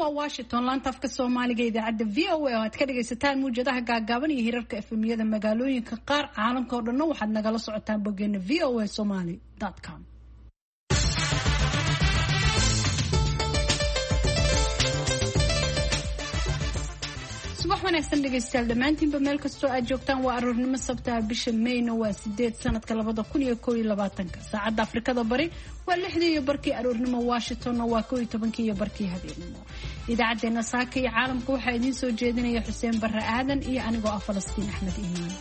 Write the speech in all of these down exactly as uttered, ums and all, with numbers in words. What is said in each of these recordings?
Waa Washington, laanta afka Soomaaliga, idaacadda V O A oo aad ka dhagaysataan muwjadaha gaagaaban iyo hirarka F M-yada magaalooyinka qaar. Caalamka oo dhanna waxaad nagala socotaan boggeena V O A Somali com. Subax wanaagsan, dhegaystayaal dhammaantiinba, meel kastoo aad joogtaan. Waa aroornimo Sabtaha, bisha Mayna waa sideed, sanadka labada kun iyo koo iyo labaatanka. Saacadda Afrikada Bari waa lixdii iyo barkii aroornimo, Washingtonna waa koo iyo tobankii iyo barkii habeenimo. Idaacaddeenna saaka iyo caalamka waxaa idiin soo jeedinaya Xuseen Barre Aadan iyo anigoo ah Falastiin Axmed Iimaan.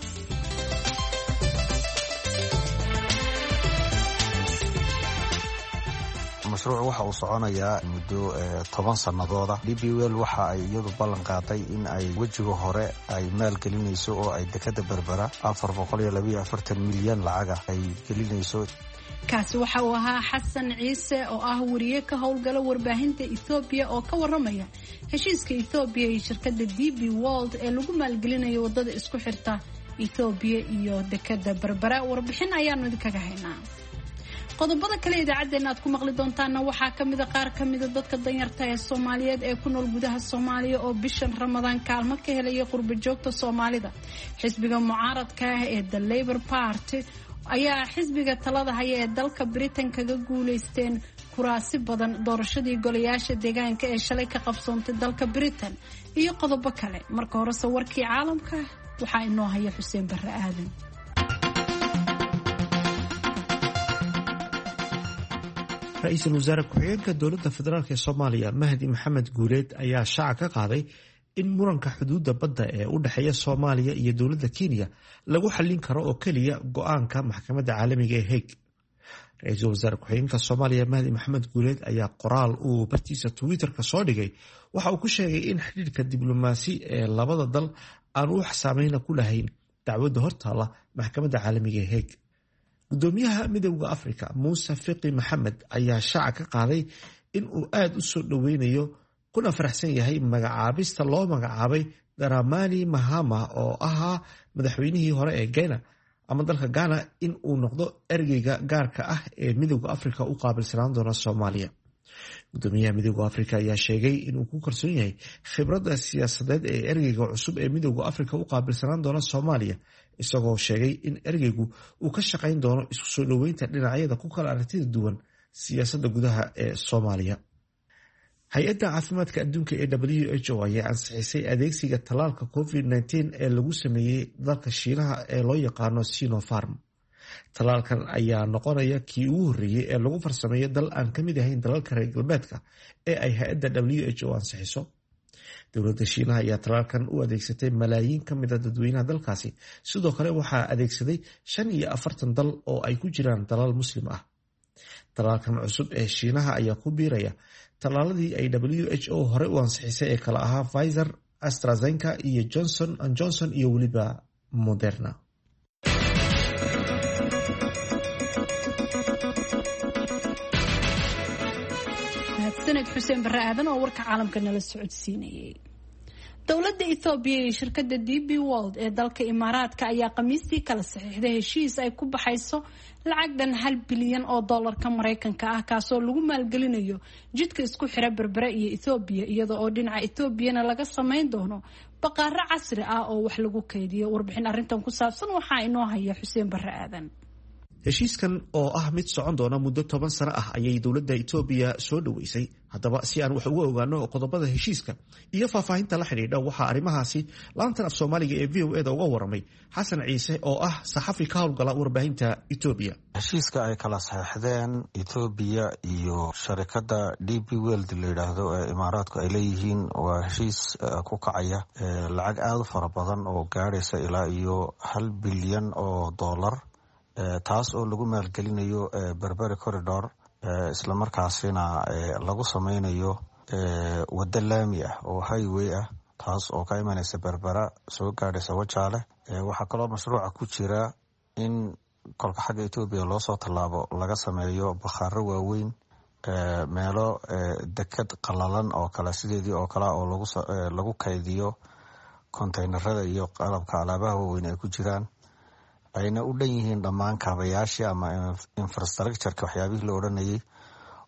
Mashruuc waxa uu soconayaa muddo toban sanadooda. D P World waxa ay iyadu ballan qaaday in ay wejiga hore ay maalgelinayso oo ay dekada Berbera afar boqol iyo labayo afartan milyan lacaga ay gelinayso. Kaasi waxa uu ahaa Xasan Ciise oo ah wariye ka howlgala warbaahinta Ethoobiya oo ka waramaya heshiiska Ethoobiya iyo shirkadda D P World ee lagu maalgelinayo wadada isku xirta Ethoobiya iyo dekada Berbera. Warbixin ayaanu idinkaga haynaa. Qodobada kale idaacaddeenna aad ku maqli doontaanna waxaa kamida qaar kamida dadka danyarta ee Soomaaliyeed ee ku nool gudaha Soomaaliya oo bishan Ramadaan kaalmo ka helaya qurba joogta Soomaalida. Xisbiga mucaaradka ah ee The Labour Party ayaa xisbiga talada haya ee dalka Britain kaga guuleysteen kuraasi badan doorashadii golayaasha deegaanka ee shalay ka qabsoontay dalka Britain, iyo qodobo kale. Marka horese warkii caalamka waxaa inoo haya Xuseen Barre Aadan. Ra-iisul wasaare ku-xigeenka dowladda federaalk ee Soomaaliya, Mahdi Maxamed Guuleed, ayaa shaaca ka qaaday in muranka xuduudda badda ee u dhexeeya Soomaaliya iyo dowladda Kenya lagu xallin karo oo keliya go-aanka maxkamadda caalamiga ee Hague. Ra-iisul wasaare ku-xigeenka Soomaaliya, Mahdi Maxamed Guuleed, ayaa qoraal uu bartiisa Twitterka soo dhigay waxa uu ku sheegay in xidhiidhka diblomaasi ee labada dal aan wax saameyna ku lahayn dacwadda hortaalla maxkamadda caalamiga ee Hague. Gudoomiyaha Midowda Afrika, Muuse Fiqi Maxamed, ayaa shaaca ka qaaday in uu aada u soo dhoweynayo kuna faraxsan yahay magacaabista loo magacaabay Daramani Mahama, oo ahaa madaxweynihii hore ee Gena ama dalka Ghana, in uu noqdo ergeyga gaarka ah ee Midowda Afrika u qaabilsanaan doona Soomaaliya. Gudoomiyaha Midowda Afrika ayaa sheegay inuu ku kalsoon yahay khibradda siyaasadeed ee ergeyga cusub ee Midowda Afrika u qaabilsanaan doona Soomaaliya, isagoo sheegay in ergeygu uu ka shaqayn doono isku soo dhoweynta dhinacyada ku kala aragtida duwan siyaasadda gudaha ee Soomaaliya. Hay-adda caafimaadka adduunka ee W H O ayaa ansixisay adeegsiga tallaalka COVID nineteen ee lagu sameeyey dalka Shiinaha ee loo yaqaano Sinopharm. Tallaalkan ayaa noqonaya kii ugu horreeyey ee lagu farsameeyo dal aan ka mid ahayn dalalka reer galbeedka ee ay hay-adda W H O ansixiso. Dowladda Shiinaha ayaa tallaalkan u adeegsatay malaayiin ka mid a dadweynaha dalkaasi. Sidoo kale waxaa adeegsaday shan iyo afartan dal oo ay ku jiraan dalal Muslim ah. Tallaalkan cusub ee Shiinaha ayaa ku biiraya tallaaladii ay W H O hore u ansixisay ee kala ahaa Pfizer, AstraZeneca iyo Johnson and Johnson iyo weliba Moderna. Mahadsaned, Xuseen Barre Aadan oo warka caalamka nala socodsiinayay. Dowladda Ethoobiya iyo shirkadda D P World ee dalka Imaaraadka ayaa Khamiistii kala saxiixday heshiis ay ku baxayso lacag dhan hal bilyan oo doolarka Mareykanka ah, kaasoo lagu maalgelinayo jidka isku xira Berbere iyo Ethoobiya, iyada oo dhinaca Ethoobiyana laga sameyn doono baqaaro casri ah oo wax lagu kaydiyo. Warbixin arrintan ku saabsan waxaa inoo haya Xuseen Barre Aadan. Heshiiskan oo ah mid socon doona muddo toban sano ah ayay dowladda Itoobiya soo dhoweysay. Haddaba, si aan wax uga ogaano qodobada heshiiska iyo faahfaahinta la xidhiidha, waxaa arrimahaasi laantan af Soomaaliga ee V O A da uga waramay Xasan Ciise oo ah saxafi ka howlgala warbaahinta Itoobiya. Heshiiska ay kala saxeixdeen Etoobiya iyo sharikadda D P World la yidhaahdo ee Imaaraadku ay leeyihiin waa heshiis ku kacaya lacag aada u fara badan oo gaadhaysa ilaa iyo hal bilyan oo dollar, taas oo lagu maalgelinayo Berbera Corridor, islamarkaasina lagu sameynayo waddo laami ah oo highway ah, taas oo ka imanaysa Berbera, soo gaadhaysa Wajaale. Waxaa kaloo mashruuca ku jira in kolka xagga Etoobiya loosoo tallaabo laga sameeyo bakhaaro waaweyn, meelo deked qalalan oo kale sideedii oo kale oo lagu kaydiyo kontaynarada iyo qalabka alaabaha waaweyn ay ku jiraan, ayna u dhan yihiin dhammaan kaabayaashii ama infrastructureka waxyaabihii la odhanayay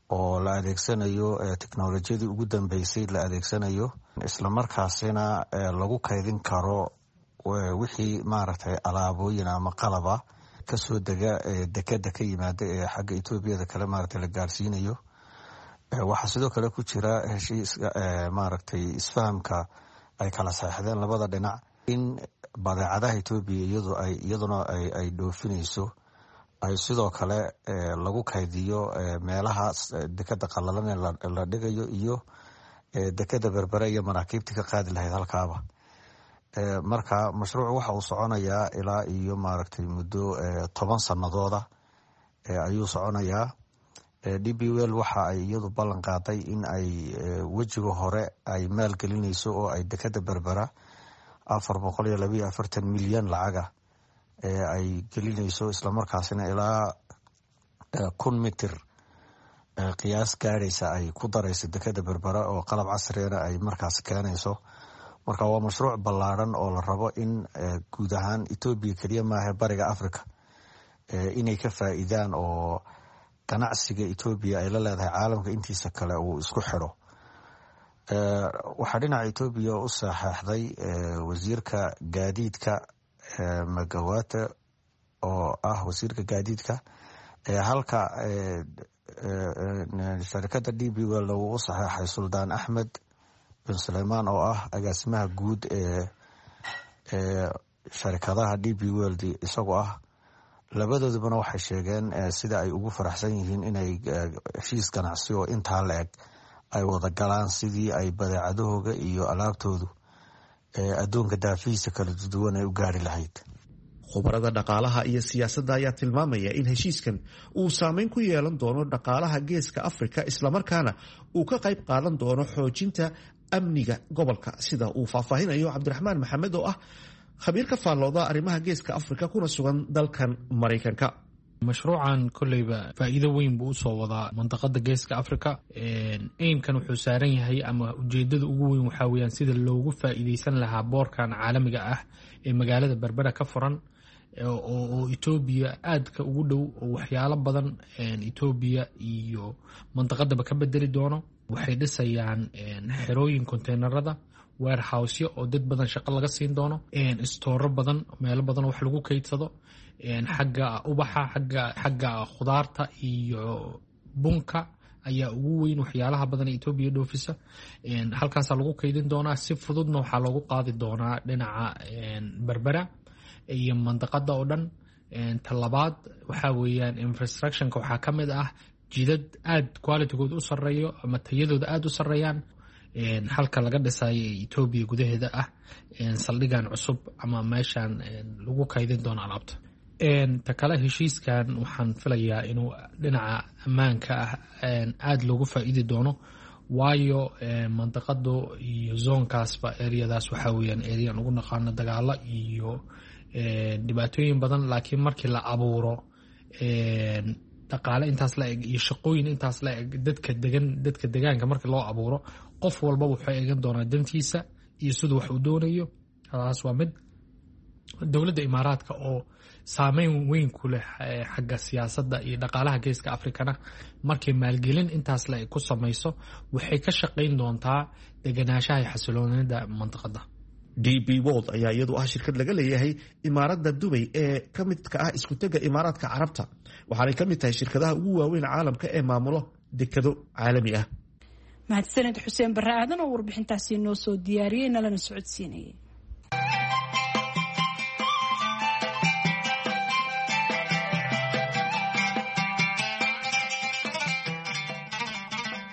oo la adeegsanayo teknolojiyadii ugu dambeysay la adeegsanayo, islamarkaasina lagu kaydin karo wixii maaragtay alaabooyin ama qalaba kasoo dega dekeda ka yimaada ee xagga Etoobiyada kale maaragtay la gaarsiinayo. Waxaa sidoo kale ku jira heshiiska maaragtay isfahamka ay kala saxeixdeen labada dhinac in badeecadaha Etoobiya iyadu ay iyaduna ay dhoofinayso ay sidoo kale lagu kaydiyo meelaha dekeda qalalan ee la dhigayo iyo dekeda Berbere iyo maraakiibta ka qaadi lahayd halkaaba. Marka mashruucu waxa uu soconayaa ilaa iyo maaragtay muddo toban sanadooda ayuu soconayaa. D B Well waxa ay iyadu ballan qaaday in ay wejiga hore ay maalgelinayso oo ay dekeda Berbera afar boqol iyo labayo afartan milyan lacaga ay gelinayso, islamarkaasina ilaa kun mitir qiyaas gaadhaysa ay ku darayso dekeda Berbera oo qalab casriyana ay markaas keenayso. Marka waa mashruuc ballaaran oo la rabo in guud ahaan Etoobiya keliya maaha bariga Africa inay ka faa'iidaan oo ganacsiga Etoobiya ay la leedahay caalamka intiisa kale uu isku xidho. Waxaa dhinaca Etoobiya u saxeexday wasiirka gaadiidka Magawate oo ah wasiirka gaadiidka, halka sharikada D B Well uu u saxeexay Suldaan Axmed bin Suleymaan oo ah agaasimaha guud ee sharikadaha D B World isagoo ah. Labadoodubana waxay sheegeen sida ay ugu faraxsan yihiin inay heshiis ganacsi oo intaa la eg ay wada galaan sidii ay badeecadahooga iyo alaabtoodu adduunka daafihiisa kala duwan ay u gaari lahayd. Khubarada dhaqaalaha iyo siyaasadda ayaa tilmaamaya in heshiiskan uu saameyn ku yeelan doono dhaqaalaha geeska Afrika, islamarkaana uu ka qayb qaadan doono xoojinta amniga gobolka, sida uu faahfaahinayo Cabdiraxmaan Maxamed oo ah khabiir ka faallooda arrimaha geeska Afrika kuna sugan dalkan Maraykanka. Mashruucan kolleyba faa'iido weyn buu usoo wadaa mandaqada geeska Africa. Aimkan wuxuu saaran yahay ama ujeedada ugu weyn waxaa weyaan sida loogu faa'iideysan lahaa boorkan caalamiga ah ee magaalada Berbera ka furan oo Etoobiya aadka ugu dhow oo waxyaalo badan Etoobiya iyo mandaqadaba ka bedeli doono. Waxay dhisayaan xerooyin konteynerada, warehousyo oo dad badan shaqo laga siin doono, istooro badan, meelo badan oo wax lagu kaydsado, xagga ubaxa, xagga xagga khudaarta iyo bunka ayaa ugu weyn waxyaalaha badan ee Etoobiya dhoofisa. Halkaasaa lagu kaydin doonaa, si fududna waxaa loogu qaadi doonaa dhinaca Berbera iyo mandaqada oo dhan. Talabaad waxaa weeyaan infrastructureka waxaa ka mid ah jidad aad qualitygood u sareeyo ama tayadooda aada u sareeyaan. Halka laga dhisayo Etoobiya gudaheeda ah saldhigan cusub ama meeshan lagu kaydin doono alaabta. Ta kale, heshiiskan waxaan filayaa inuu dhinaca ammaanka ah aada loogu faa'iidi doono, waayo mandaqadu iyo zoonkaasba areadaas waxaa weyaan arean ugu naqaano dagaalo iyo dhibaatooyin badan. Laakiin markii la abuuro dhaqaale intaas la eg iyo shaqooyin intaas la eg, dadka degan dadka degaanka marka loo abuuro, qof walbaba wuxuu eegan doonaa dantiisa iyo siduu wax uu doonayo. Taas waa mid. Dowladda Imaaraadka oo saameyn weyn ku leh xagga siyaasadda iyo dhaqaalaha geeska Afrikana, markay maalgelin intaas la eg ku samayso, waxay ka shaqayn doontaa deganaanshaha iyo xasiloonida mandaqada. D B World ayaa iyadu ah shirkad laga leeyahay imaaradda Dubay ee ka midka ah iskutega Imaaraadka Carabta, waxaanay ka mid tahay shirkadaha ugu waaweyn caalamka ee maamulo dekado caalami ah. Mahadsaned Xuseen Barre Aadan oo warbixintaasi noo soo diyaariyey nalana socodsiinayay.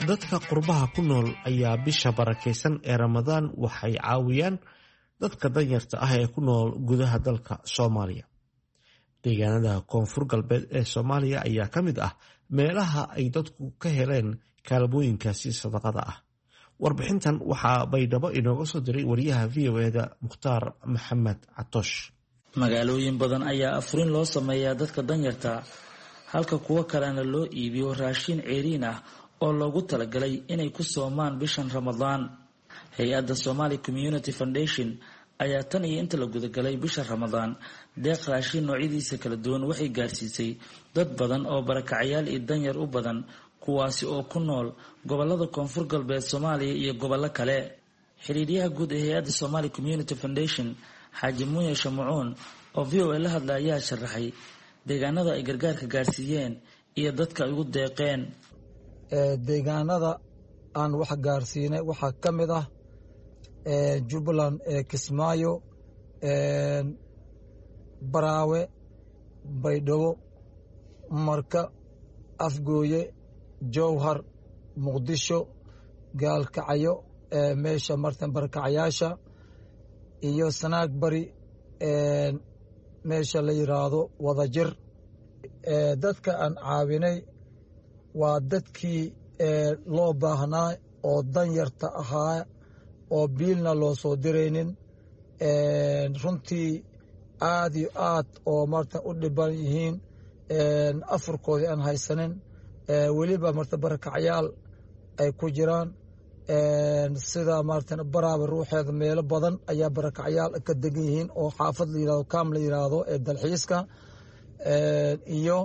Dadka qurbaha ku nool ayaa bisha barakeysan ee Ramadaan waxay caawiyaan dadka danyarta ah ee ku nool gudaha dalka Soomaaliya. Deegaanada koonfur galbeed ee Soomaaliya ayaa ka mid ah meelaha ay dadku ka heleen kaalmooyinkaasi sadaqada ah. Warbixintan waxaa Baydhabo inooga soo diray wariyaha V O e da Mukhtaar Maxamed Catoosh. Magaalooyin badan ayaa afurin loo sameeyaa dadka danyarta, halka kuwo kalena loo iibiyo raashin ceeriin ah oo loogu talagalay inay ku soomaan bishan Ramadaan. Hay-adda Somali Community Foundation ayaa tan iyo inta la gudagalay bisha Ramadaan deeq raashin noocyadiisa kala duwan waxay gaarsiisay dad badan oo barakacayaal iyo danyar u badan kuwaasi oo ku nool gobolada Koonfur Galbeed Soomaaliya iyo gobollo kale. Xiriiryaha guud ee hay-adda Somali Community Foundation Xaaji Muuye Shamucuun oo V O A la hadla ayaa sharaxay deegaanada ay gargaarka gaarsiiyeen iyo dadka ay ugu deeqeen. Deegaanada aan wax gaarsiinay waxaa ka mid ah Jubbaland, Kismaayo, Baraawe, Baydhabo, Marka, Afgooye, Jowhar, Muqdisho, Gaalkacyo, meesha martan barakacayaasha iyo Sanaag Bari, meesha la yiraahdo Wadajir. Dadka aan caawinay waa dadkii loo baahnaa oo danyarta ahaa oo biilna loo soo diraynin, runtii aad iyo aad oo martan u dhiban yihiin, afurkoodii aan haysanin, weliba marta barakacyaal ay ku jiraan. Sida martan Baraaba ruuxeeda meelo badan ayaa barakacyaal ka degan yihiin oo xaafad la yirahdo, kaam la yiraahdo ee dalxiiska, iyo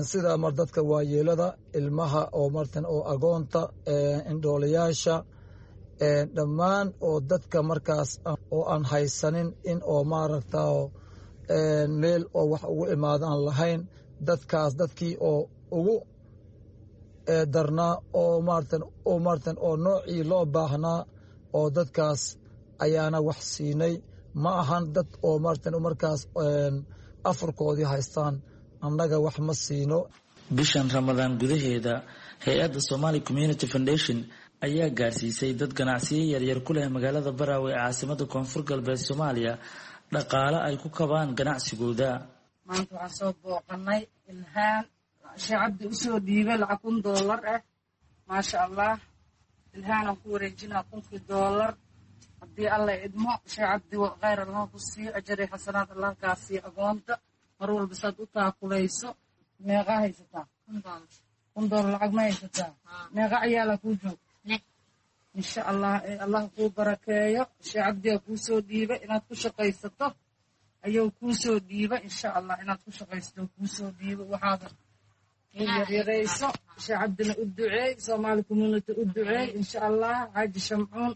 sida mar dadka waayeelada, ilmaha oo martan oo agoonta, indhoolayaasha, dhammaan oo dadka markaas oo aan haysanin in oo maaragta meel oo wax ugu imaado aan lahayn. Dadkaas dadkii oo ugu darnaa oo maartan oo maartan oo noocii loo baahnaa oo dadkaas ayaana wax siinay. Ma ahan dad oo maartan markaas afurkoodii haystaan, annaga wax ma siino. Bishan Ramadaan gudaheeda hay-adda Somali Community Foundation ayaa gaarsiisay dad ganacsiyo yaryar ku leh magaalada Baraawe ee caasimada Koonfur Galbeed Soomaaliya dhaqaale ay ku kabaan ganacsigooda. Maanta waxaan soo booqanay Ilhaan Sheekh Cabdi usoo dhiibay lacag kun doolar ah, maasha Allah. Ilhaanaan ku wareejinaa kunkii doolar haddii Alla idmo. Sheekh Cabdi khayr Allah ku siiyo, ajari xasanaad Allah kaa siiyo. Agoonta mar walba saad u taakulayso. Meeqaa haysataa? Kun doolar lacag ma haysataa? Meeqa ciyaalaa kuu joog? Insha Allah Allah kuu barakeeyo. Sheekh Cabdiyaa kuu soo dhiibay inaad ku shaqaysato ayuu kuu soo dhiibay. Insha Allah inaad ku shaqaysato kuu soo dhiibay, waxaada yaryarayso. Sheekh Cabdina u duceey, Somali Community u duceey insha Allah. Xaaji Shamcuun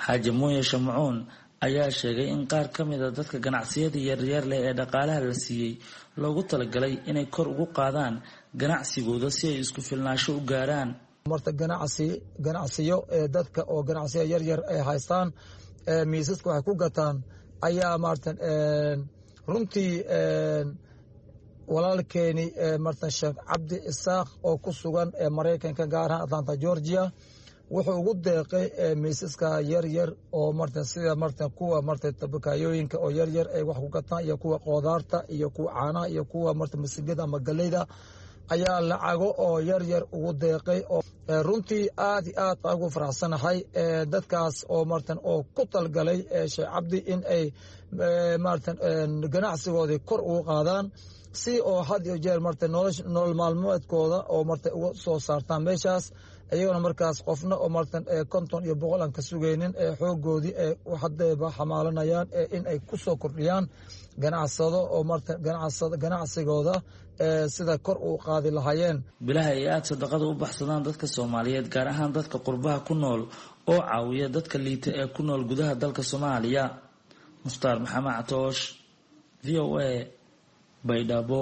Xaaji Muuye Shamcuun ayaa sheegay in qaar ka mid a dadka ganacsiyada yaryar leh ee dhaqaalaha la siiyey loogu talagalay inay kor ugu qaadaan ganacsigooda si ay isku filnaansho u gaaraan. Marta ganacsi ganacsiyo ee dadka oo ganacsiyo yaryar ay haystaan, miisaska waxay ku gataan ayaa maartan runtii walaalkeeni martan Sheekh Cabdi Isaaq oo ku sugan ee Maraykanka, gaar ahaan Atlanta, Georgia, wuxuu ugu deeqay miisaska yaryar oo martan sida martan kuwa martan tabakaayooyinka oo yaryar ay wax ku gataan, iyo kuwa qoodaarta, iyo kuwa caanaha, iyo kuwa martan masigada ama galleyda ayaa lacago oo yaryar ugu deeqay. Oo runtii aad iyo aad ugu faraxsanahay dadkaas oo martan oo ku talgalay Sheekh Cabdi in ay martan ganacsigoodii kor ugu qaadaan si oo had iyo jeer martan nolol maalmeedkooda oo martan uga soo saartaan meeshaas, iyagona markaas qofna oo martan konton iyo boqol aan ka sugaynin ee xoogoodii ee haddayba xamaalanayaan in ay ku soo kordhiyaan ganacsado oo martan ganacsigooda sida kor u qaadi lahaayeen. Bilaha ay aada sadaqada u baxsadaan dadka Soomaaliyeed, gaar ahaan dadka qurbaha ku nool oo caawiya dadka liita ee ku nool gudaha dalka Soomaaliya. Mukhtaar Maxamed Catoosh, V O A, Baydhabo.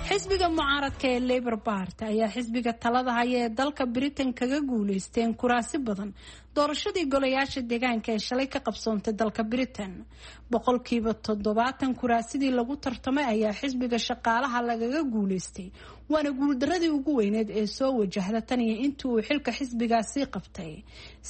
Xisbiga mucaaradka ee Labour Party ayaa xisbiga talada haya ee dalka Britain kaga guuleysteen kuraasi badan doorashadii golayaasha deegaanka ee shalay ka qabsoontay dalka Britain. Boqolkiiba toddobaatan kuraasidii lagu tartamay ayaa xisbiga shaqaalaha lagaga guuleystay, waana guuldaradii ugu weyneed ee soo wajahda tan iyo intii uu xilka xisbigaasi qabtay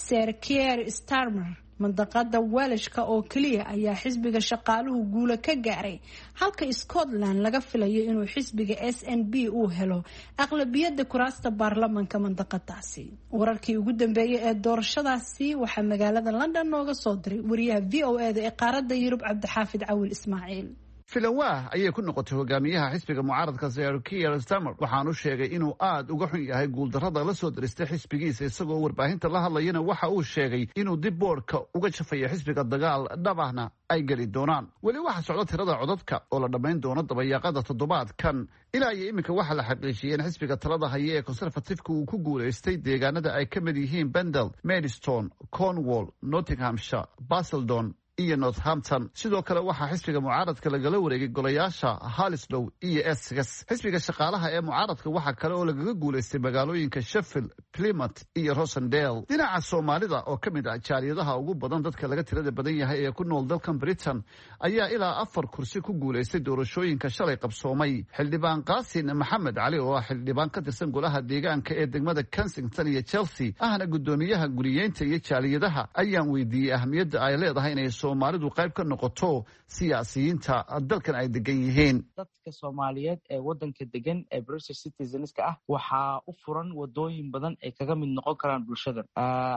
Sir Keir Starmer. Mandaqada Welshka oo keliya ayaa xisbiga shaqaaluhu guula ka gaaray, halka Scotland laga filayo inuu xisbiga S N P uu helo aqlabiyadda kuraasta baarlamaanka mandaqadaasi. Wararkii ugu dambeeyay ee doorashadaasi waxaa magaalada London nooga soo diray wariyaha V O A da ee qaaradda Yurub Cabdixaafid Cawil Ismaaciil. Filanwaah ayay ku noqotay hogaamiyaha xisbiga mucaaradka Sir Keir Starmer, waxaanu sheegay inuu aad uga xun yahay guuldarrada la soo diristay xisbigiisa. Isagoo warbaahinta la hadlayana waxa uu sheegay inuu dib boodhka uga jafayo xisbiga, dagaal dhabahna ay geli doonaan. Weli waxaa socda tirada codadka oo la dhammayn doono dabayaaqada toddobaadkan. Ilaa iyo iminka waxaa la xaqiijiyey in xisbiga talada haya ee Conservative-ka uu ku guulaystay deegaanada ay ka mid yihiin Pendle, Maidstone, Cornwall, Nottinghamshire, Basildon iyo Northampton. Sidoo kale waxaa xisbiga mucaaradka lagala wareegay golayaasha Hounslow iyo Essex. Xisbiga Shaqaalaha ee mucaaradka waxaa kale oo lagaga guulaystay magaalooyinka Sheffield, Plymouth iyo Rossendale. Dhinaca Soomaalida oo ka mid ah jaaliyadaha ugu badan dadka laga tirada badan yahay ee ku nool dalkan Britain ayaa ilaa afar kursi ku guulaystay doorashooyinka shalay qabsoomay. Xildhibaan Qaasin Maxamed Cali oo ah xildhibaan ka tirsan golaha deegaanka ee degmada Kensington iyo Chelsea, ahna guddoomiyaha guriyeynta iyo jaaliyadaha, ayaan weydiiyey ahmiyadda ay leedahay inay Soomaalidu qayb ka noqoto siyaasiyiinta dalkan ay degan yihiin. Dadka Soomaaliyeed ee wadanka degan ee British citizenska ah waxaa u furan wadooyin badan ay kaga mid noqon karaan bulshada.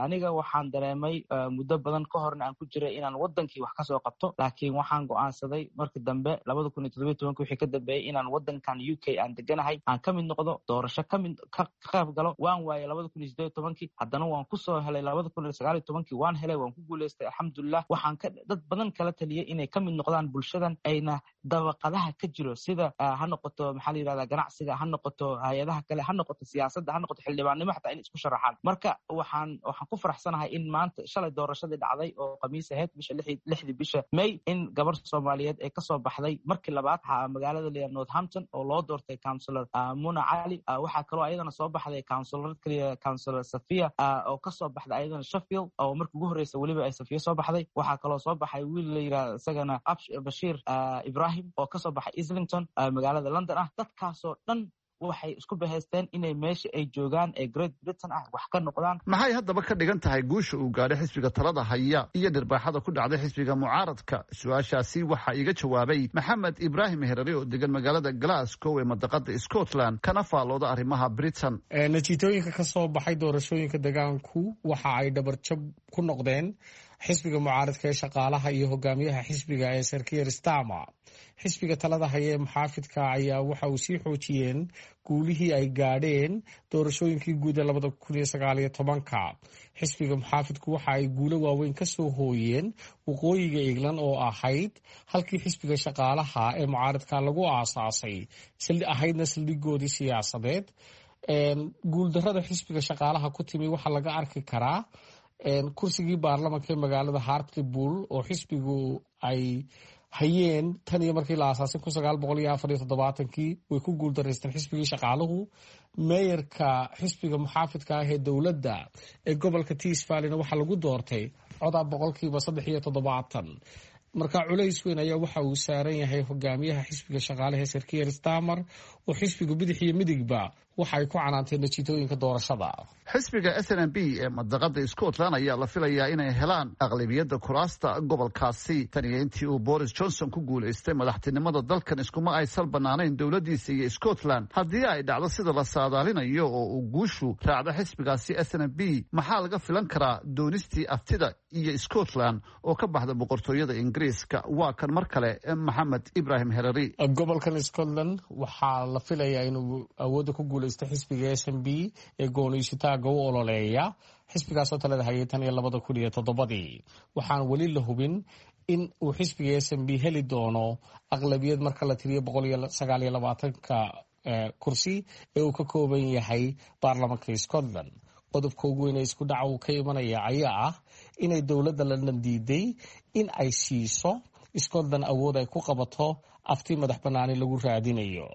Aniga waxaan dareemay muddo badan ka horna aan ku jiray inaan wadankii wax kasoo qabto, laakiin waxaan go'aansaday markii dambe labada kun iyo toddobiyo tobanka wixii ka dambeeyey inaan wadankan U K aan deganahay aan ka mid noqdo, doorasho kamid ka qayb galo. Waan waayay labada kun iyo siddeed iyo tobankii, haddana waan kusoo helay labada kun iyo sagaal iyo tobankii, waan helay, waan ku guuleystay, alxamdulilah. Waxaan ka dad badan kala taliyay inay ka mid noqdaan bulshadan, ayna dabaqadaha ka jiro, sida ha noqoto, maxaa la yirahdaa, ganacsiga, ha noqoto hay-adaha kale, ha noqoto siyaasadda, ha noqoto xildhibaannimo, xataa inay isku sharaxaan. Marka waxaan waxaan ku faraxsanahay in maanta shalay doorashadii dhacday oo khamiis ahayd, bisha lixdii bisha May, in gabar Soomaaliyeed ay kasoo baxday markii labaad magaalada la Northampton oo loo doortay councillor Muna Cali. Waxaa kaloo ayadana soo baxday councillor kaliya, councillor Safia, oo kasoo baxday ayadana Sheffield, oo markii ugu horreysa weliba ay Safiya soo baxday. Waxaa kaloo soo baxay wiil la yirahda isagana Bashiir Ibrahim oo kasoo baxay Islington, magaalada London ah. Dadkaasoo dhan waxay isku bahaysteen inay meesha ay joogaan ee Great Britain ah wax ka noqdaan. Maxay haddaba ka dhigan tahay guusha uu gaadhay xisbiga talada haya iyo dhirbaaxada ku dhacday xisbiga mucaaradka? Su-aashaasi waxaa iiga jawaabay Maxamed Ibraahim Herare oo degan magaalada Glasgow ee mandaqada Scotland, kana faallooda arrimaha Britain. Natiijooyinka ka soo baxay doorashooyinka degaanku waxa ay dhabarjab ku noqdeen xisbiga mucaaradka ee Shaqaalaha iyo hogaamiyaha xisbiga ee Sir Keir Starmer. Xisbiga talada haya ee muxaafidka ayaa waxa uu sii xoojiyeen guulihii ay gaadheen doorashooyinkii guud ee labada kun iyo sagaal iyo tobanka. Xisbiga muxaafidku waxa ay guulo waaweyn kasoo hooyeen waqooyiga England oo ahayd halkii xisbiga Shaqaalaha ee mucaaradka lagu aasaasay, ahaydna saldhigoodii siyaasadeed. Guuldarada xisbiga Shaqaalaha ku timi waxaa laga arki karaa kursigii baarlamanka ee magaalada Hartlepool oo xisbigu ay hayeen tan iyo markii la aasaasay kun sagaal boqol iyo afar iyo toddobaatankii. Way ku guuldaraysteen xisbigii Shaqaaluhu. Meeyarka xisbiga muxaafidka ah ee dowladda ee gobolka Tees Valleyna waxaa lagu doortay codaa boqolkiiba saddex iyo toddobaatan. Marka culays weyn ayaa waxa uu saaran yahay hogaamiyaha xisbiga Shaqaalaha Sir Keir Starmer, oo xisbiga bidix iyo midigba waxa ay ku canaanteen natiijooyinka doorashada. Xisbiga S N P ee mandaqada Scotland ayaa la filayaa inay helaan aqlabiyadda kuraasta gobolkaasi. Tan iyo intii uu Boris Johnson ku guulaystay madaxtinimada dalkan iskuma ay sal banaanayn dowladiisa iyo Scotland. Haddii ay dhacdo sida la saadaalinayo oo uu guushu raacdo xisbigaasi S N P, maxaa laga filan karaa doonistii aftida iyo Scotland oo ka baxda Boqortooyada Ingiriiska? Waa kan mar kale Maxamed Ibrahim Herari. Gobolkan Scotland waxaa la filayaa inuu awoodda ku guulaysto xisbiga S N P ee gooniisutaaga u ololeeya, xisbigaasoo talada hayay tan iyo labada kun iyo toddobadii. Waxaan weli la hubin in uu xisbiga S N P heli doono aqlabiyad marka la tiriyo boqol iyo sagaal iyo labaatanka kursi ee uu ka kooban yahay baarlamanka Scotland. Qodobka ugu weyn ee isku dhaca uu ka imanaya ayaa ah inay dowladda London diiday in ay siiso Scotland awood ay ku qabato afti madax banaani lagu raadinayo.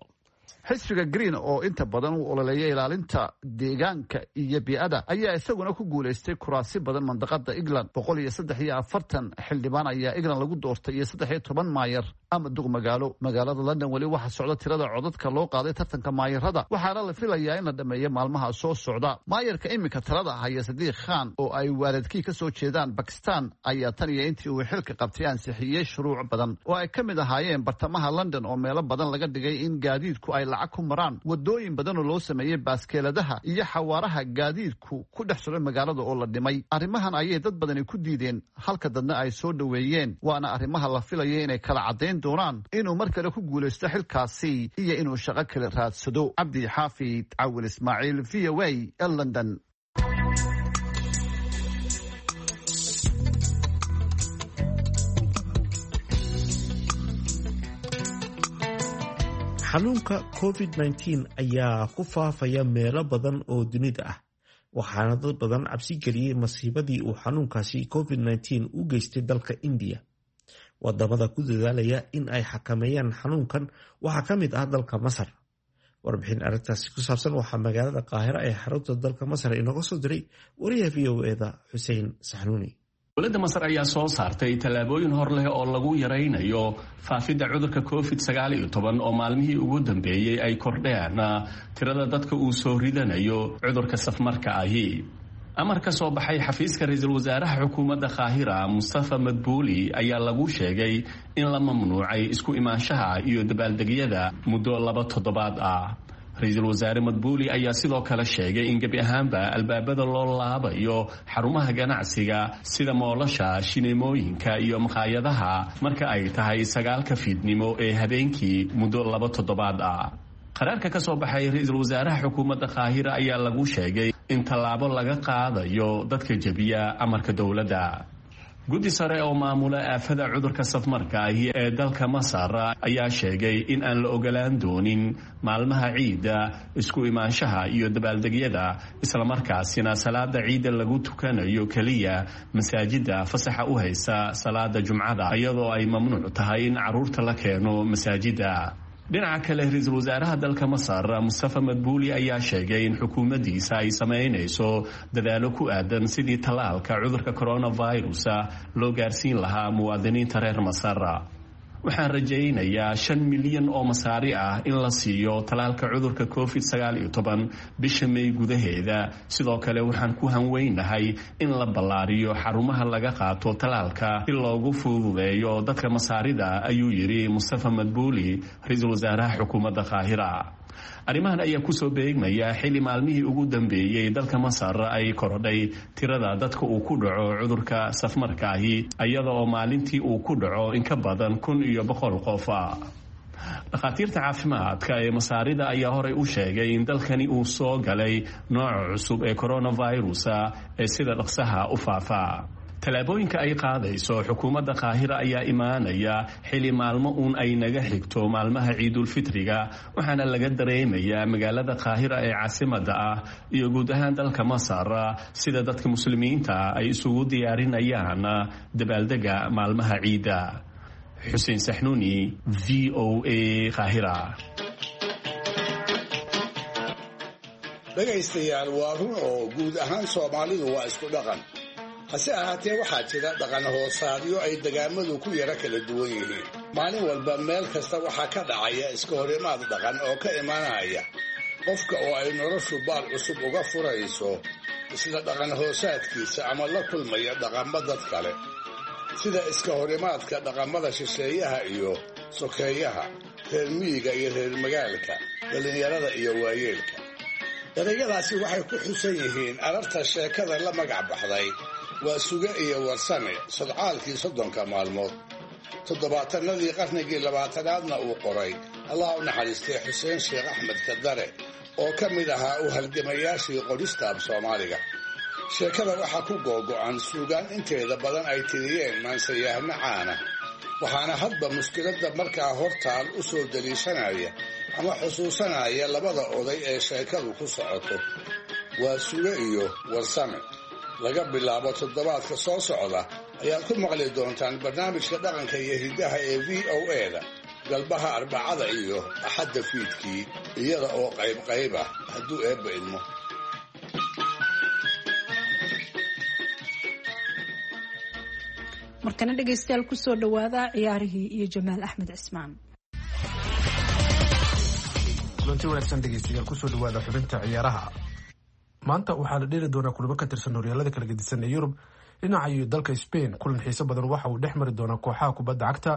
Xisbiga Green oo inta badan u ololeeya ilaalinta deegaanka iyo bii'ada ayaa isaguna ku guulaystay kuraasi badan mandaqada England. Boqol iyo saddex iyo afartan xildhibaan ayaa England lagu doortay iyo saddex iyo toban maayar ama duq magaalo. Magaalada London weli waxaa socda tirada codadka loo qaaday tartanka maayarada, waxaana la filayaa in la dhameeyo maalmaha soo socda. Maayarka iminka talada haya, Sadiiq Khan, oo ay waalidkii ka soo jeedaan Bakistan, ayaa tan iyo intii uu xilka qabtay ansixiyey shuruuc badan oo ay ka mid ahaayeen bartamaha London oo meelo badan laga dhigay in gaadiidku ay lacag ku maraan, wadooyin badan oo loo sameeyey baaskeeladaha iyo xawaaraha gaadiidku ku dhex socdo magaalada oo la dhimay. Arrimahan ayay dad badani ku diideen, halka dadna ay soo dhoweeyeen, waana arrimaha la filaya inay kala caddayn doonaan inuu mar kale ku guulaysto xilkaasi iyo inuu shaqo kale raadsado. Cabdi Xaafid Cawil Ismaaciil, V O A, London. Xanuunka covid nineteen ayaa ku faafaya meelo badan oo dunida ah, waxaana dad badan cabsi geliyey masiibadii uu xanuunkaasi covid nineteen u geystay dalka Indiya. Wadamada ku dadaalaya in ay xakameeyaan xanuunkan waxaa ka mid ah dalka Masar. Warbixin arrintaasi ku saabsan waxaa magaalada Qaahira ee xarunta dalka Masar inooga soo diray wariyaha V O E-da Xuseen Saxnuuni. Dowladda Masar ayaa soo saartay tallaabooyin hor leh oo lagu yaraynayo faafidda cudurka covid sagaal iyo toban oo maalmihii ugu dambeeyey ay kordheen tirada dadka uu soo ridanayo cudurka safmarka ahi. Amar ka soo baxay xafiiska ra-iisul wasaaraha xukuumadda Qaahira Mustafa Madbuuli ayaa lagu sheegay in la mamnuucay isku imaanshaha iyo dabaaldegyada muddo laba toddobaad ah. Ra-iisul wasaare Madbuuli ayaa sidoo kale sheegay in gebi ahaanba albaabada loo laabayo xarumaha ganacsiga sida moolasha, shineemooyinka iyo makhaayadaha marka ay tahay sagaalka fiidnimo ee habeenkii muddo laba toddobaad ah. Qaraarka ka soo baxay ra-iisul wasaaraha xukuumadda Qaahira ayaa lagu sheegay in tallaabo laga qaadayo dadka jebiya amarka dowladda. Guddi sare oo maamula aafada cudurka safmarka ahi ee dalka Masar ayaa sheegay in aan la ogolaan doonin maalmaha ciidda isku imaanshaha iyo dabaaldegyada, islamarkaasina salaada ciidda lagu tukanayo keliya masaajidda fasaxa u haysa salaada jumcada, iyadoo ay mamnuuc tahay in carruurta la keeno masaajidda. Dhinaca kale, ra-iisul wasaaraha dalka Masar Mustafa Madbuuli ayaa sheegay in xukuumaddiisa ay samaynayso dadaalo ku aadan sidii tallaalka cudurka coronavirus loo gaarsiin lahaa muwaadiniinta reer Masar. Waxaan rajaynayaa shan milyan oo masaari ah in la siiyo tallaalka cudurka covid sagaal iyo toban bisha May gudaheeda. Sidoo kale waxaan ku hanweynahay in la ballaariyo xarumaha laga qaato tallaalka si loogu fududeeyo dadka masaarida, ayuu yidhi Mustafa Madbuuli, ra-iisul wasaaraha xukuumadda Qaahira. Arrimahan ayaa kusoo beegmaya xilli maalmihii ugu dambeeyey dalka Masar ay korodhay tirada dadka uu ku dhaco cudurka safmarka ahi, iyada oo maalintii uu ku dhaco in ka badan kun iyo boqol qof. Dhakhaatiirta caafimaadka ee masaarida ayaa horey u sheegay in dalkani uu soo galay nooca cusub ee coronavirus ee sida dhaqsaha u faafa. Tallaabooyinka ay qaadayso xukuumadda Qaahira ayaa imaanaya xili maalmo uun ay naga xigto maalmaha ciidulfitriga, waxaana laga dareemayaa magaalada Qaahira ee caasimadda ah iyo guud ahaan dalka Masar sida dadka muslimiinta ay isugu diyaarinayaan dabaaldega maalmaha ciidda. Xuseen Saxnuuni, V O A, Qaahira. Dhegaystayaal, waa run oo guud ahaan Soomaalidu waa isku dhaqan. Hase ahaatee waxaa jira dhaqan hoosaadyo ay degaamadu ku yara kala duwan yihiin. Maalin walba meel kasta waxaa ka dhacaya iska horimaad dhaqan oo ka imanaya qofka oo ay noloshu baal cusub uga furayso isla dhaqan hoosaadkiisa ama la kulmaya dhaqammo dad kale, sida iska horimaadka dhaqamada shisheeyaha iyo sokeeyaha, reer miyiga iyo reer magaalka, dhallinyarada iyo waayeelka. Erayadaasi waxay ku xusan yihiin ararta sheekada la magac baxday waa Suge iyo Warsame sodcaalkii soddonka maalmood, toddobaatanadii qarnigii labaatanaadna uu qoray Allah u naxariistay Xuseen Sheekh Axmed Kadare oo ka mid ahaa u halgamayaashii qorista af Soomaaliga. Sheekada waxaa ku googo'an suugaan inteeda badan ay tiriyeen maansayahno caana, waxaana hadba mushkiladda markaa hortaal u soo daliishanaya ama xusuusanaya labada oday ee sheekadu ku socoto, waa Suge iyo Warsame. Laga bilaabo toddobaadka soo socda ayaad ku maqli doontaan barnaamijka dhaqanka iyo hiddaha ee V O A-da galbaha Arbacada iyo Axadda fiidkii, iyada oo qayb qayb ah hadduu Eebba idmo. Markana dhegaystayaal, kusoo dhawaada ciyaarihii iyo Jamaal Axmed Cismaan. Kulanti wanaagsan dhegeystayaal, kusoo dhawaada xubinta ciyaaraha. Maanta waxaa la dheeli doonaa kulamo ka tirsan horyaalada kala gedisan ee Yurub. Dhinaca iyo dalka Spain, kulan xiiso badan waxa uu dhex mari doonaa kooxaha kubadda cagta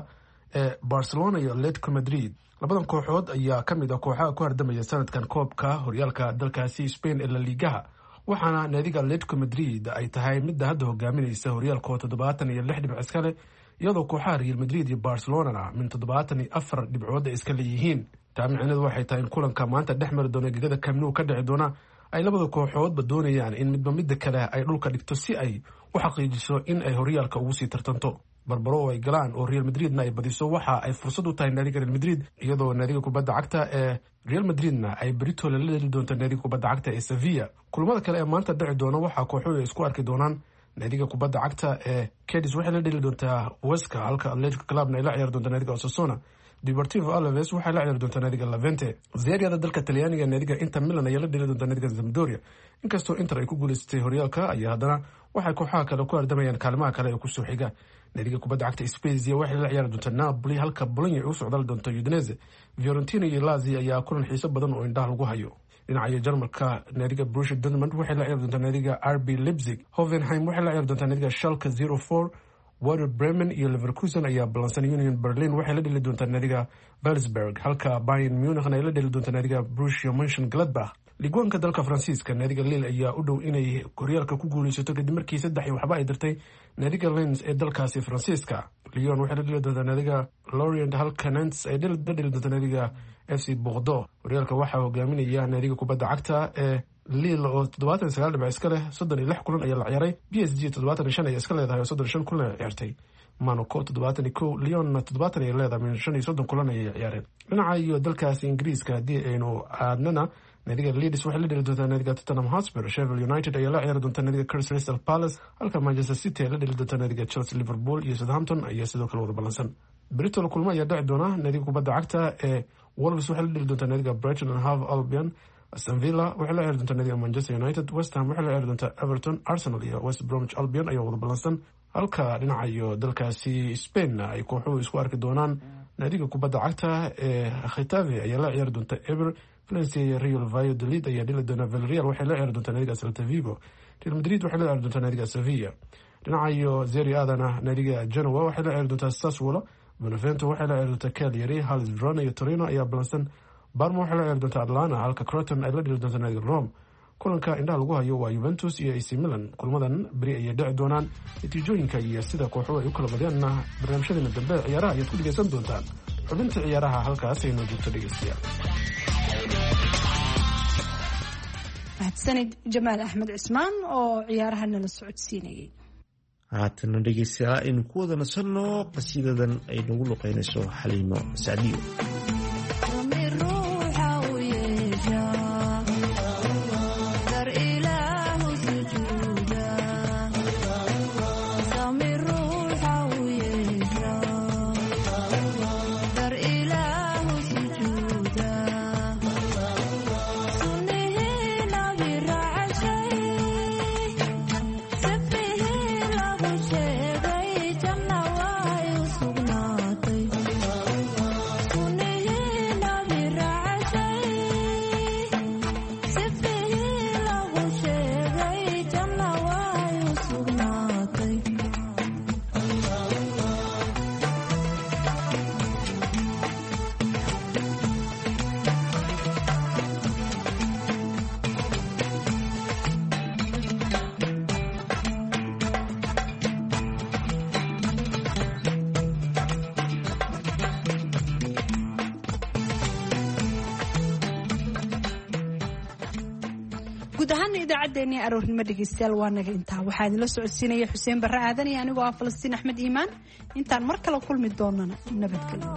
ee Barcelona iyo Atletico Madrid. Labadan kooxood ayaa ka mid ah kooxaha ku hardamaya sanadkan koobka horyaalka dalkaasi Spain ee La Ligaha, waxaana naadiga Atletico Madrid ay tahay midda hadda hogaaminaysa horyaalkoo toddobaatan iyo lix dhibc iskale, iyadoo kooxaha Real Madrid iyo Barcelonana min toddobaatan iyo afar dhibcood ay iska leeyihiin. Taa micneedu waxay tahay in kulanka maanta dhex mari doona gegada Camp Nou ka dhici doona ay labada kooxoodba doonayaan in midba midda kale ay dhulka dhigto si ay u xaqiijiso in ay horyaalka ugu sii tartanto. Barbaro oo ay galaan oo Real Madridna ay badiso waxa ay fursad u tahay naadiga Real Madrid, iyadoo naadiga kubadda cagta ee Real Madridna ay berito la dheli doonto naadiga kubadda cagta ee Sevilla. Kulamada kale ee maanta dhici doona waxaa kooxuhu ay isku arki doonaan naadiga kubadda cagta ee Cadiz waxay la dheli doontaa Huesca, halka Atletico Clubna ay la ciyaari doonto naadiga Osasuna. Deportivo Alaves waxay la ciyaari doontaa naadiga Levante. Serie-da dalka Talyaaniga naadiga Inter Milan ayaa la dheli doontaa naadiga Sampdoria. Inkastoo Inter ay ku guuleysatay horyaalka ayaa haddana waxay kooxaha kale ku hardamayaan kaalimaha kale ee kusoo xiga. Naadiga kubadda cagta Spezia waxay la ciyaari doontaa Napoli, halka Bologna ay u socdaali doonto Udinese. Fiorentina iyo Lazio ayaa kulan xiiso badan oo indhaha lagu hayo. Dhinaca Jarmalka naadiga Borussia Dortmund waxay la ciyaari doontaa naadiga R B Leipzig. Hoffenheim waxay la ciyaari doontaa naadiga Schalke zero four. Werder Bremen iyo Leverkusen ayaa ballansan. Union Berlin waxay la dheli doontaa naadiga Wolfsburg, halka Bayern Munich ay la dheli doontaa naadiga Borussia Mönchengladbach. Liigwaanka dalka Faransiiska naadiga Lille ayaa u dhow inay horyaalka ku guuleysato kadib markii saddex iyo waxba ay dirtay naadiga Lens ee dalkaasi Faransiiska. Lyon waxay la dheli doontaa naadiga Lorient, halka Nantes ay la dheli doontaa naadiga F C Bordeaux. Horyaalka waxaa hogaaminaya naadiga kubadda cagta ee Lille oo toddobaatan iyo sagaal dhibc iska leh, soddon iyo lix kulan ayaa la ciyaaray. B S G toddobaatan iyo shan ayaa iska leedahay oo soddon iyo shan kulan ay ciyaartay. Monaco toddobaatan iyo kow, Lyonna toddobaatan ayay leedahay, min shan iyo soddon kulan ayay ciyaareen. Dhinaca iyo dalkaasi Ingiriiska haddii aynu aadnana, naadiga Leeds waxay la dheli doontaa naadiga Tottenham Hotspur. Sheffield United ayaa la ciyaari doonta naadiga Crystal Palace, halka Manchester City ay la dheli doonta naadiga Chelsea. Liverpool iyo Southampton ayaa sidoo kale wada ballansan. Britol kulmo ayaa dhici doona. Naadiga kubadda cagta ee Wolves waxay la dheli doontaa naadiga Brighton and Hove Albion. Aston Villa waxay la ciyaari doontaa naadiga Manchester United. West Ham waxay la ciyaari doontaa Everton. Arsenal iyo West Bromwich Albion ayaa wada ballansan, halka dhinaca iyo dalkaasi Spain ay kooxuhu isku arki doonaan. Naadiga kubadda cagta ee Getafe ayaa la ciyaari doonta Eber. Valencia iyo Real Valladolid ayaa dheli doona. Villarreal waxay la ciyaari doontaa naadiga Celta Vigo. Real Madrid waxay la ciyaari doontaa naadiga Sevilla. Dhinaca iyo Serie A-dana naadiga Genoa waxay la ciyaari doontaa Sassuolo. Benevento waxay la ciyaari doontaa Cagliari. Hellas Verona iyo Torino ayaa ballansan. Parma waxay la ciyaari doontaa Atlanta, halka Croton ay la dheli doontaa naadiga Rome. Kulanka indhaha lagu hayo waa Juventus iyo A C Milan. Kulmadan beri ayay dhici doonaan. Natiijooyinka iyo sida kooxuhu ay u kala badyaanna barnaamijyadeena dambe ciyaaraha ayaad ku dhegeysan doontaan. Xubinta ciyaaraha halkaas ay noo joogto dhegeystayaal. Mahadsanid Jamaal Axmed Cismaan oo ciyaaraha nala socodsiinayay. Haatana dhegeystayaal aynu ku wada nasanno qasiidadan ay nagu luqeynayso Xaliimo Sacdiyo. Guud ahaana idaacaddeenii aroornimo dhegeystayaal waa naga intaa. Waxaa idinla socodsiinaya Xuseen Barre Aadan iyo anigoo ah Falastiin Axmed Iimaan. Intaan mar kale kulmi doonana nabadgelyo.